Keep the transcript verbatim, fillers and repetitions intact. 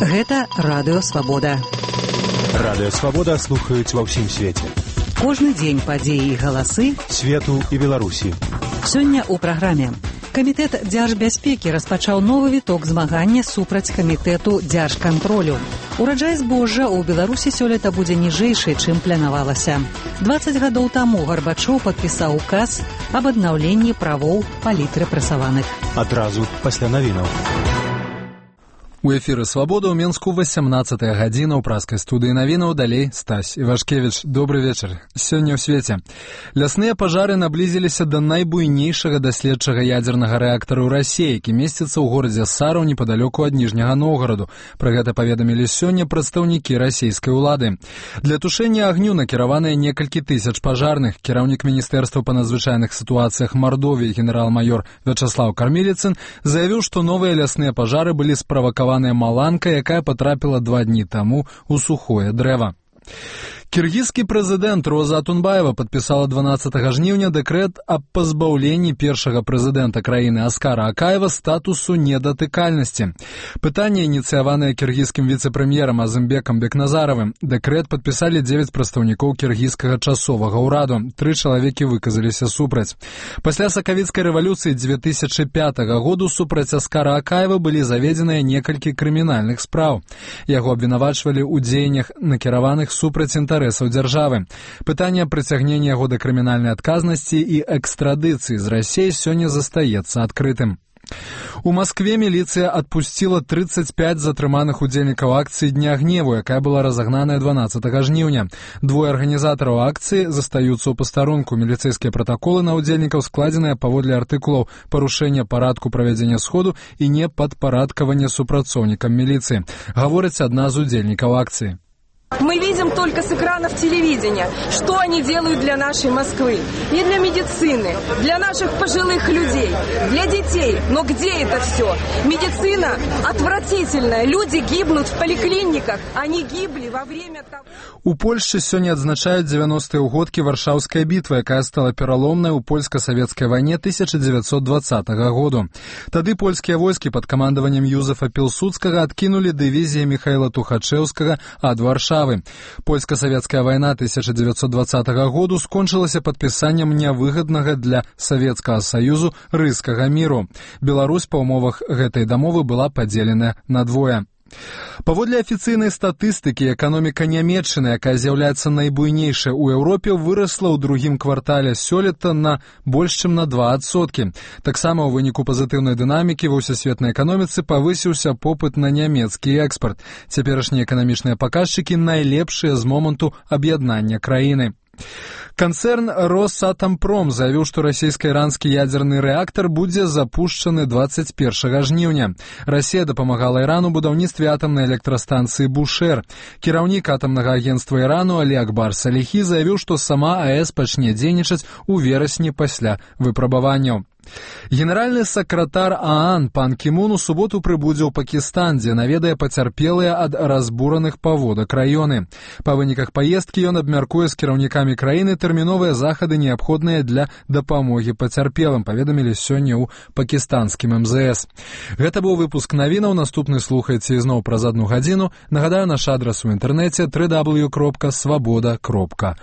Гэта Радыё Свабода. Радыё Свабода слухаюць ва ўсім свеце. Кожны дзень падзеі і галасы свету і Беларусі. Сёння ў праграме. Камітэт дзяржбяспекі распачаў новы віток змагання супраць камітэту дзяржкантролю. Ураджай збожжа ў Беларусі сёлета будзе ніжэйшы, чым планавалася. дваццаць гадоў таму Гарбачоў падпісаў указ аб аднаўленні правоў палітрэпрэсаваных. Адразу пасля навінаў. У эфіры «Свабода» ў Менску васямнаццатая гадзіна ў праскай студыі навінаў. Далей Стась Івашкевіч. Добры вечар. Сёння ў свеце. Лясныя пажары наблізіліся да найбуйнейшага даследчага ядзернага рэактара ў Расіі, які месціцца ў горадзе Сараў непадалёку ад Ніжняга Новгараду. Пра гэта паведамілі сёння прадстаўнікі расійскай улады. Для тушэння агню накіраваныя некалькі тысяч пажарных. Кіраўнік міністэрства па надзвычайных сітуацыях Мардовіі генерал-майор Вячаслаў Кармеліцын заявіў, што новыя лясныя пажары былі справакаваны маланка, якая потрапіла два дні таму ў сухое дрэва. Кіргізскі прэзідэнт Роза Атунбаева падпісала дванаццатага жніўня дэкрэт аб пазбаўленні першага прэзідэнта краіны Аскара Акаева статусу недатыкальнасці. Пытанне ініцыяванае кіргізскім віцэ-прэм'ерам Азымбекам Бекназаравым. Дэкрэт падпісалі дзевяць прадстаўнікоў кіргізскага часовага ўраду. Тры чалавекі выказаліся супраць. Пасля сакавіцкай рэвалюцыі дзве тысячы пятага году супраць Аскара Акаева былі заведзеныя некалькі крымінальных спраў. Яго абвінавачвалі ў дзеяннях, накіраваных супраць інтарэсаў дзяржавы. Пытанне прыцягнення яго да крымінальнай адказнасці і экстрадыцыі з Расіі сёння застаецца адкрытым. У Маскве міліцыя адпусціла трыццаць пяць затрыманых удзельнікаў акцыі Дня гневу, якая была разагнаная дванаццатага жніўня. Двое арганізатараў акцыі застаюцца ў пастарунку. Міліцэйскія пратаколы на удзельнікаў складзеныя паводле артыкулаў парушэння парадку правядзення сходу і непадпарадкавання супрацоўнікам міліцыі. Гаворыць адна з удзельнікаў акцыі. Мы видим только с экранов телевидения, что они делают для нашей Москвы. И для медицины, для наших пожилых людей, для детей. Но где это все? Медицина отвратительная. Люди гибнут в поликлиниках. Они гибли во время того... У Польшчы сёння адзначаюць дзевяностыя ўгодкі Варшаўскай бітвы, якая стала пераломнай у польска-савецкай вайне тысяча дзевяцьсот дваццатага году. Тады польскія войскі пад камандаваннем Юзефа Пілсудскага адкінулі дывізіі Міхаіла Тухачэўскага ад Варшавы. Польска-савецкая вайна тысяча дзевяцьсот дваццатага году скончылася падпісаннем нявыгаднага для Савецкага Саюзу рыскага міру. Беларусь па ўмовах гэтай дамовы была падзеленая на двое. Паводле афіцыйнай статыстыкі, эканоміка Нямецчыны, якая з'яўляецца найбуйнейшай у Еўропе, вырасла ў другім квартале сёлета на больш чым на два адсоткі. Таксама ў выніку пазітыўнай дынамікі ва ўсесветнай эканоміцы павысіўся попыт на нямецкі экспарт. Цяперашнія эканамічныя паказчыкі найлепшыя з моманту аб'яднання краіны. Канцэрн Росатампром заявіў, што расійска-іранскі ядзерны рэактар будзе запушчаны дваццаць першага жніўня. Расія дапамагала Ірану ў будаўніцтве атамнай электрастанцыі Бушэр. Кіраўнік атамнага агенцтва Ірану Алі Акбар Саліхі заявіў, што сама АЭС пачне дзейнічаць у верасні пасля выпрабаванняў. Генеральны сакратар ААН пан Кімун у суботу прыбудзе ў Пакістан, дзе наведае пацярпелыя ад разбураных паводак раёны. Па выніках паездкі ён абмяркуе з кіраўнікамі краіны тэрміновыя захады, неабходныя для дапамогі пацярпелым, паведамілі сёння ў пакістанскім эм зэ эс. Гэта быў выпуск навінаў. Наступны слухайце ізноў праз адну гадзіну. Нагадаю, наш адрас у інтэрнэце дабл ю дабл ю дабл ю кропка свабода кропка